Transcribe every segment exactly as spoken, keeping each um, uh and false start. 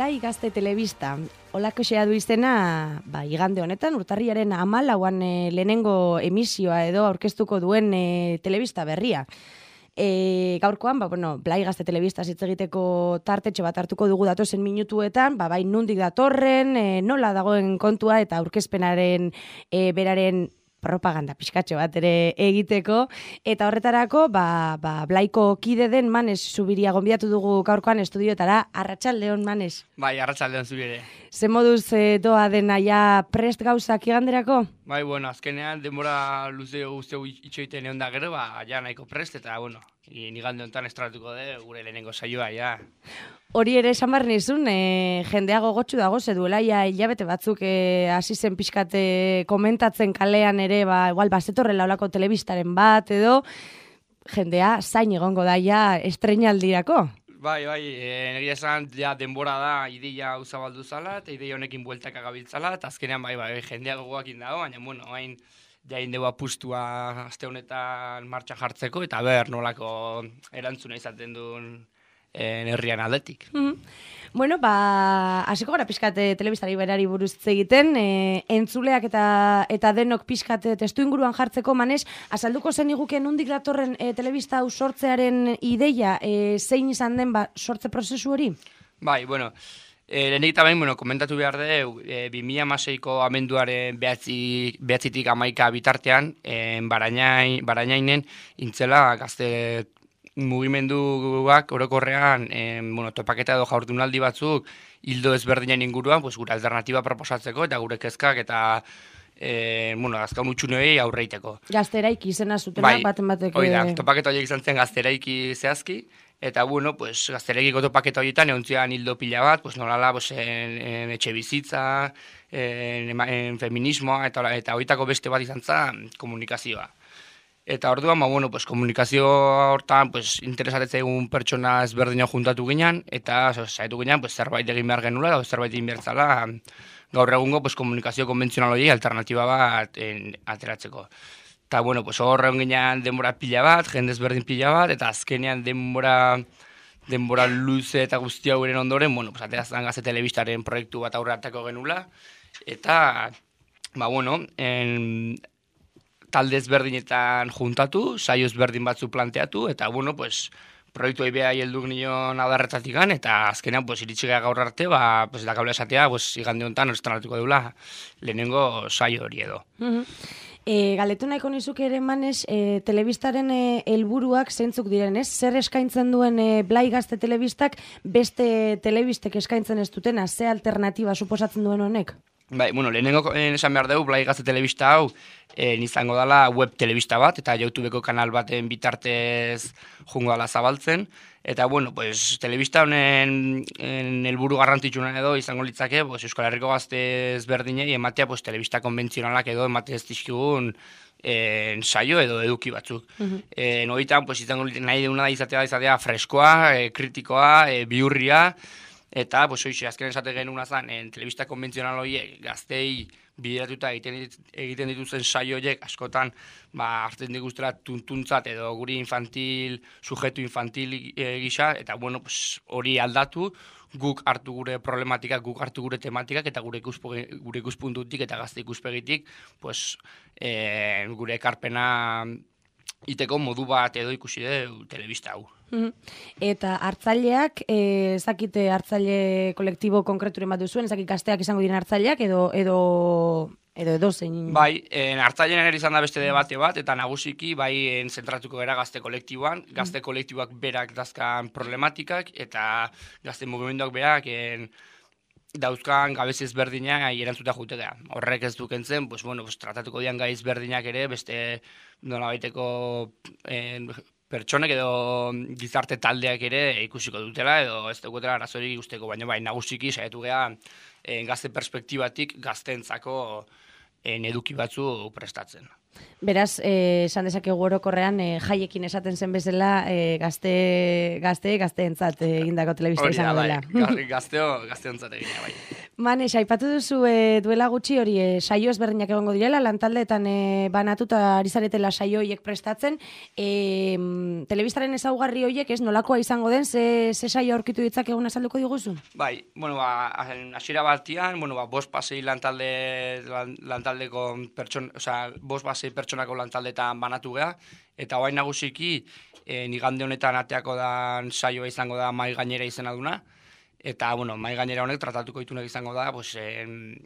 Blai Gazte Telebista. Olako xea du izena, ba, igande honetan, urtarriaren hamalauan e, lehenengo emisioa edo aurkeztuko duen e, telebista berria. E, gaurkoan, ba, bueno, Blai Gazte Telebista hitz egiteko tartetxe bat hartuko dugu datozen minutuetan, ba, bai nundik datorren, e, nola dagoen kontua eta aurkezpenaren e, beraren propaganda pixkatxo bat ere egiteko, eta horretarako, ba, ba, Blaiko kide den Manes Zubiria gonbidatu dugu gaurkoan estudioetara. Arratsaldeon, Manes. Bai, arratsaldeon zuri ere. Ze moduz e, doa dena ja prest gauzak iganderako? Bai, bueno, azkenean denbora luze guztio itxoiten egon da gero, ba, ja nahiko prest, eta, bueno, igande honetan estratuko de gure lehenengo saioa, ja. Hori ere esan behar nizun, e, jendeago gotxu dago, ze duela ja hilabete batzuk e, hasi zen pixkate komentatzen kalean ere, ba, igual, bazetorrela olako telebistaren bat, edo jendea zain egongo da ja estreinaldirako. Bai, bai, egia esan ja denbora da ideia hau zabaldu zala, eta ideia honekin bueltak agabiltzala, eta azkenean bai, bai, jendea gogoakin dago, baina, bueno, hain jain dugu apustua aste honetan martxa jartzeko, eta ber, nolako erantzuna izaten duen herrian aldetik. Mm-hmm. Bueno, ba, hasiko gara pixkate telebistari berari buruz egiten, e, entzuleak eta eta denok pixkate testu inguruan jartzeko, Manes, azalduko zen iguke nundik datorren e, telebista hau sortzearen ideia, e, zein izan den ba, sortze prozesu hori? Bai, bueno, e, lehenik eta behin, bueno, komentatu behar dugu, e, bi mila hamaseiko amenduaren behatzi, behatzitik amaika bitartean, e, barainai, barainainen intzela gazte mugimenduak orokorrean eh, bueno, topaketa edo jaurdunaldi batzuk hildo ezberdinen inguruan, pues, gure alternatiba proposatzeko eta gure kezkak eta eh, bueno, azkaun utxunoei aurreiteko. Gazteraiki izena zutena, bai, baten batek... Hoi da, topaketa horiek izan zen gazteraiki zehazki, eta bueno, pues, gazteraikiko topaketa horietan egontzian hildo pila bat, pues, nolala pues, en, en etxe bizitza, en, en feminismoa, eta, eta horietako beste bat izan zen komunikazioa. Eta orduan, ba, bueno, pues, komunikazio hortan pues, interesatetzaigun pertsona ezberdina juntatu ginen, eta saiatu ginen pues, zerbait egin behar genula, eta zerbait egin behar zala, gaur egungo pues, komunikazio konbentzional hori alternatiba bat en, ateratzeko. Eta, bueno, pues, horregon ginen denbora pila bat, jende ezberdin pila bat, eta azkenean denbora, denbora luze eta guzti hauren ondoren, bueno, pues, aterazan Gazte Telebistaren proiektu bat aurre hartako genula, eta, ba, bueno, en... talde ezberdinetan juntatu, saio ezberdin batzu planteatu, eta, bueno, pues, proiektu ebea helduk nion adarretatik gan, eta azkenean, pues, iritsi gara gaur arte, ba, pues, dakabla esatea, pues, igande honetan estrenatuko deula lehenengo saio hori edo. Uh-huh. E, galetu nahiko nizuk ere, Manes, e, telebistaren helburuak e, zeintzuk diren, ez? Zer eskaintzen duen e, Blai Gazte Telebistak beste telebistek eskaintzen ez dutena, ze alternatiba suposatzen duen honek? Bai, bueno, lehenengo esan behar dugu, Blai Gazte Telebista hau eh, izango dela web telebista bat, eta YouTubeko kanal baten bitartez jungo dela zabaltzen. Eta, bueno, pues, telebista honen helburu garrantzitsuna edo izango litzake, pues, Euskal Herriko gazte ezberdinei ematea pues, telebista konbentzionalak edo emate ez dizkigun en, saio edo eduki batzuk. Uh-huh. En, Horietan, pues, izango nahi deuna da izatea, izatea freskoa, e, kritikoa, e, bihurria, eta, pues, hoxe, azken esate genuen azan, en, telebista konbentzional horiek gaztei bideratuta egiten, egiten dituzen saio horiek askotan ba, hartzen diguztera tuntuntzat edo guri infantil, sujetu infantil e, gisa, eta bueno, pues, hori aldatu, guk hartu gure problematikak, guk hartu gure tematikak, eta gure, ikuspe, gure ikuspuntutik eta gazte ikuspegitik, pues, e, gure ekarpena iteko modu bat edo ikusi du telebista hau. Eta hartzaileak, ez dakite hartzaile kolektibo konkreturen bat duzuen, ez dakit gazteak izango diren hartzaileak edo edo edo edo zein... Bai, en, hartzailean ere izan da beste debate bat, eta nagusiki bai en, zentratuko gara gazte kolektiboan, gazte kolektiboak berak dazkan problematikak, eta gazte mugimenduak berak en, dauzkan gabezi ezberdinak erantzuta jutea. Horrek ez dukentzen, pues, bueno, pues, tratatuko dian gai ezberdinak ere, beste nola baiteko en, pertsonek edo gizarte taldeak ere ikusiko dutela, edo ez dugutela arazorik ikusteko, baina bai, nagusiki saiatu geha en, gazte perspektibatik gazteentzako en, eduki batzu prestatzen. Beraz, eh, esan dezakegu orokorrean eh, jaiekin esaten zen bezala eh, gazte, gazte, gazteentzat egindako telebista izango dela. Bai, gazteo, gazteentzat egina, bai. Manes, aipatu duzu e, duela gutxi hori e, saio ezberdinak egongo direla, lantaldeetan e, banatuta ari zaretela saio horiek prestatzen. E, telebistaren ezaugarri horiek, ez, nolakoa izango den, ze, ze saio aurkitu ditzak egun azalduko diguzu? Bai, bueno, ba, hasiera batian, bueno, ba, bost pasei lantalde, lan, lantaldeko pertson, osea, bost pasei pertsonako lantaldetan banatu geha, eta orain nagusiki, e, igande honetan ateako da saioa izango da mai gainera izena duna. Eta, bueno, mai gainera honek tratatuko ditunak izango da, pues, en,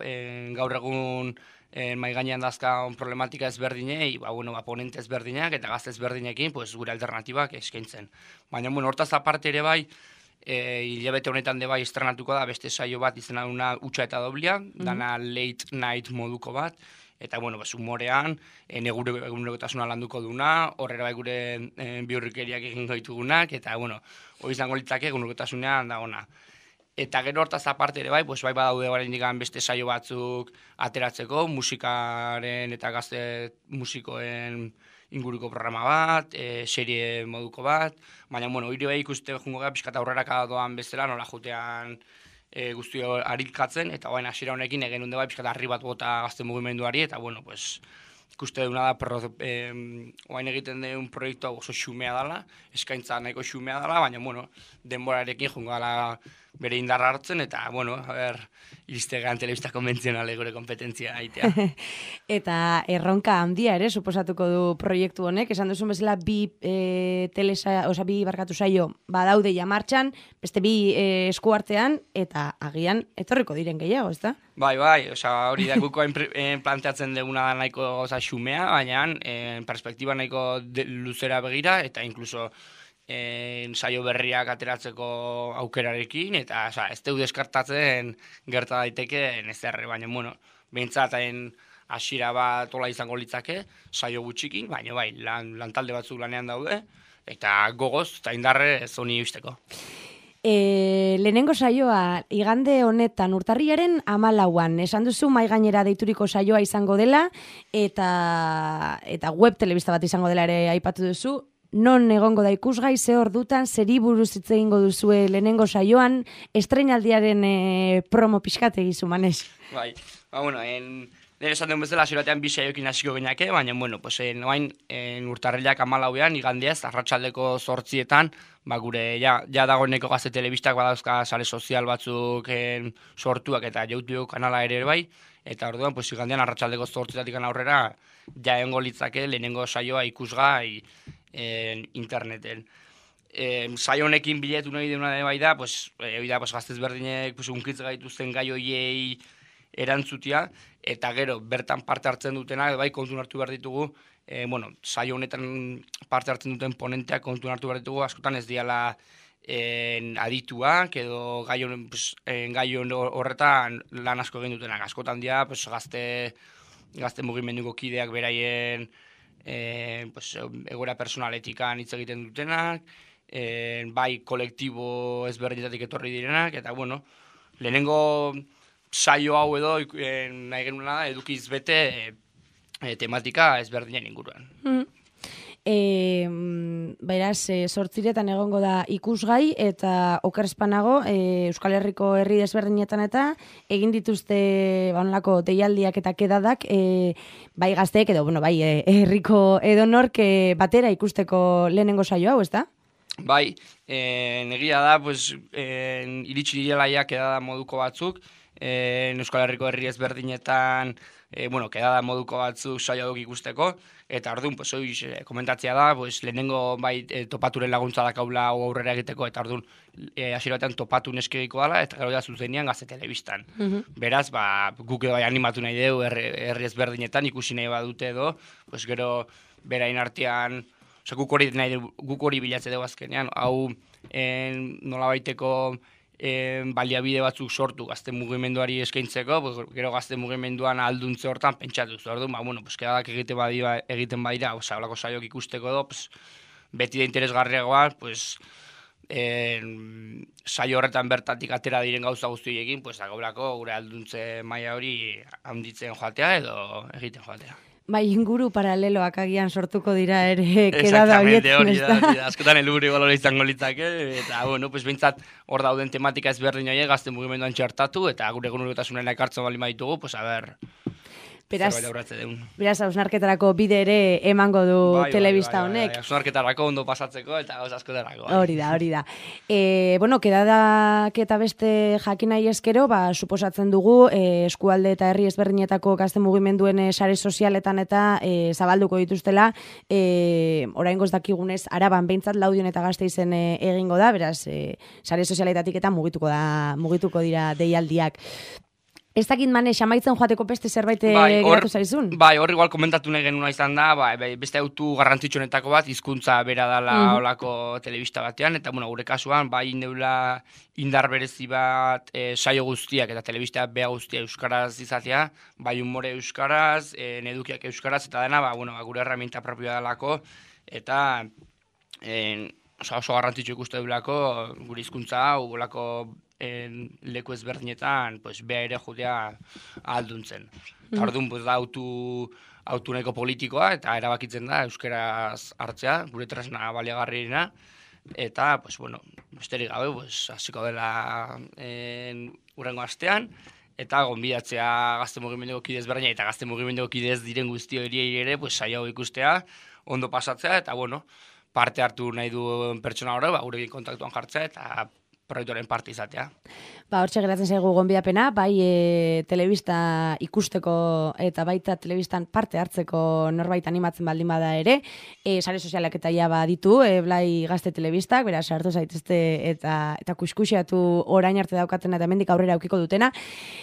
en, gaur egun en, mai gainean dazkan problematika ezberdinei, ba, bueno, ba, ponente ezberdinak eta gazte ezberdinekin, pues, gure alternatibak eskaintzen. Baina, bueno, hortaz aparte ere bai, e, hilabete honetan de bai estrenatuko da beste saio bat izena duna Utsa eta Doblia, mm -hmm. dana late night moduko bat, eta, bueno, pues, humorean, en, egure egunerotasuna landuko duna, horrera bai gure en, biurrikeriak egin ditugunak, eta, bueno, hori izango litzake egunerotasunean da ona. Eta gero hortaz aparte ere bai, pues, bai badaude oraindik beste saio batzuk ateratzeko, musikaren eta gazte musikoen inguruko programa bat, e, serie moduko bat, baina, bueno, hori bai ikuste jungo gara pixka eta aurrera doan bezala, nola jutean e, guztio harikatzen, eta baina hasiera honekin egen hunde bai pixka eta harri bat bota gazte mugimenduari, eta, bueno, pues, ikuste duna da, pero, eh, oain egiten den proiektua oso xumea dela, eskaintza nahiko xumea dela, baina, bueno, denborarekin jungo gala bere indarra hartzen, eta, bueno, a ber, iristegan telebista konbentzionale gure kompetentzia aitea. Eta erronka handia ere, suposatuko du proiektu honek, esan duzun bezala bi e, telesa, oza, bi barkatu saio badaude ja martxan, beste bi e, eskuartean, eta agian etorriko diren gehiago, ez da? Bai, bai, oza, hori da guko planteatzen duguna da nahiko oza, xumea, baina en perspektiba nahiko de, luzera begira, eta inkluso en, saio berriak ateratzeko aukerarekin, eta oza, ez deu deskartatzen gerta daiteke ezerre, baina, bueno, behintzat hasiera bat ola izango litzake, saio gutxikin, baina bai, lan, lantalde batzuk lanean daude, eta gogoz, eta indarre ez honi eusteko. E, lehenengo saioa, igande honetan urtarriaren hamalauan, esan duzu mai gainera deituriko saioa izango dela, eta, eta web telebista bat izango dela ere aipatu duzu, non egongo da ikusgai, ze ordutan, zeri buruz hitz egingo duzue lehenengo saioan, estreinaldiaren e, promo pixkate egizu, Manes. Bai, ba, bueno, en... Nire esan den bezala, ziratean bi saioekin hasiko genake, baina, bueno, pues, en, oain, en urtarrilak hamalauean, igandiaz, arratsaldeko zortzietan, ba, gure, ja, ja dagoeneko gazte telebistak badauzka sare sozial batzuk en, sortuak eta YouTube kanala ere bai, eta orduan, pues, igandian arratsaldeko zortzietatik aurrera, ja egongo litzake lehenengo saioa ikusgai en, interneten. E, saio honekin biletu nahi deuna bai da, pues, e, da, pues, gaztez berdinek pues, unkitz gaituzten gai hoiei erantzutia, eta gero bertan parte hartzen dutenak, bai kontun hartu behar ditugu, e, bueno, saio honetan parte hartzen duten ponenteak kontun hartu behar ditugu, askotan ez diala en, adituak, edo gai pues, horretan lan asko egin dutenak, askotan dira pues, gazte, gazte mugimenduko kideak beraien e, pues, egoera personaletikan hitz egiten dutenak, e, bai kolektibo ezberdinetatik etorri direnak, eta bueno, lehenengo saio hau edo eh, nahi genuna da edukiz bete eh, tematika ezberdinen inguruan. Mm. E, beraz, e, sortziretan egongo da ikusgai eta okerspanago e, Euskal Herriko herri desberdinetan eta egin dituzte banolako deialdiak eta kedadak e, bai gazteek edo bueno, bai e, herriko edonork e, batera ikusteko lehenengo saio hau, ez da? Bai, e, negia da, pues, e, iritsi direlaiak edada moduko batzuk, E, Euskal Herriko herri ezberdinetan e, bueno, kedada moduko batzuk saio duk ikusteko, eta orduan, pues, oiz, e, komentatzea da, pues, lehenengo bai e, topaturen laguntza dakaula hau aurrera egiteko, eta orduan e, hasiera batean topatu neskegiko dala, eta gero da zuzenean gazte telebistan. Uh-huh. Beraz, ba, guk edo bai animatu nahi dugu herri, herri ezberdinetan ikusi nahi badute edo, pues, gero berain artean, oza, guk hori nahi dugu, guk hori bilatze dugu azkenean, hau en, nola baiteko E, baliabide batzuk sortu gazte mugimenduari eskaintzeko, pues, gero gazte mugimenduan alduntze hortan pentsatu zu. Orduan, ba, bueno, pues, kedadak egiten badira, egiten badira, oza, holako saiok ikusteko edo, pues, beti da interesgarriagoa, pues, e, saio horretan bertatik atera diren gauza guztiekin, pues, agolako gure alduntze maila hori handitzen joatea edo egiten joatea. Bai, inguru paraleloak agian sortuko dira ere kedada horietan, ez da? Hori da, askotan helburu igual hori izango litzake, eta, bueno, pues behintzat hor dauden tematika ezberdin horiek gazte mugimenduan txertatu, eta gure egunerokotasunen ekartzen bali maitugu, pues a ber, Beraz, zerbait aurratze deun. Beraz, hausnarketarako bide ere emango du Bai, telebista bai, bai, honek. Bai, hausnarketarako ondo pasatzeko eta gauz askotarako. Bai. Hori da, hori da. E, bueno, kedadak eta beste jakin nahi eskero, ba, suposatzen dugu, e, eskualde eta herri ezberdinetako gazte mugimenduen e, sare sozialetan eta e, zabalduko dituztela, e, oraingoz dakigunez, Araban behintzat Laudion eta Gasteizen e, egingo da, beraz, e, sare sozialetatik eta mugituko da, mugituko dira deialdiak. Ez dakit mane, xamaitzen joateko beste zerbait bai, geratu zaizun? Bai, hor igual komentatu nahi genuna izan da, bai, beste autu garrantzitsuenetako bat, hizkuntza bera dala mm. olako telebista batean, eta bueno, gure kasuan, bai neula indar berezi bat e, saio guztiak eta telebista bea guztia euskaraz izatea, bai humore euskaraz, e, edukiak euskaraz, eta dena, ba, bueno, gure herramienta propioa dalako, eta e, oso, oso garrantzitsu ikuste dulako gure hizkuntza hau, olako en leku ezberdinetan, pues, bea ere judea alduntzen. Mm. Orduan, pues, da autu, autu nahiko politikoa, eta erabakitzen da euskeraz hartzea, gure tresna baliagarriena, eta, pues, bueno, besterik gabe, pues, hasiko dela en, urrengo astean, eta gonbidatzea gazte mugimenduko kide ezberdina eta gazte mugimenduko kide ez diren guzti horiei ere, pues, saio ikustea, ondo pasatzea, eta, bueno, parte hartu nahi duen pertsona hori, ba, gurekin kontaktuan jartzea, eta proiektuaren parte izatea. Ba, hortxe geratzen zaigu gonbidapena, bai e, telebista ikusteko eta baita telebistan parte hartzeko norbait animatzen baldin bada ere, e, sare sozialak eta ia baditu, e, Blai Gazte Telebistak, beraz sartu zaitezte eta eta kuskusiatu orain arte daukatena eta hemendik aurrera aukiko dutena.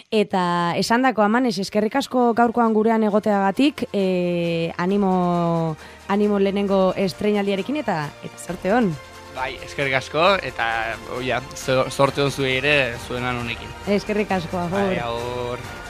Eta esandako Amanes, eskerrik asko gaurkoan gurean egoteagatik, e, animo, animo lehenengo estreinaldiarekin eta, eta sorte hon. Bai, eskerrik asko, eta oia, sorte hon zuei ere zuenan honekin. Eskerrik asko, agur. Bai, agur.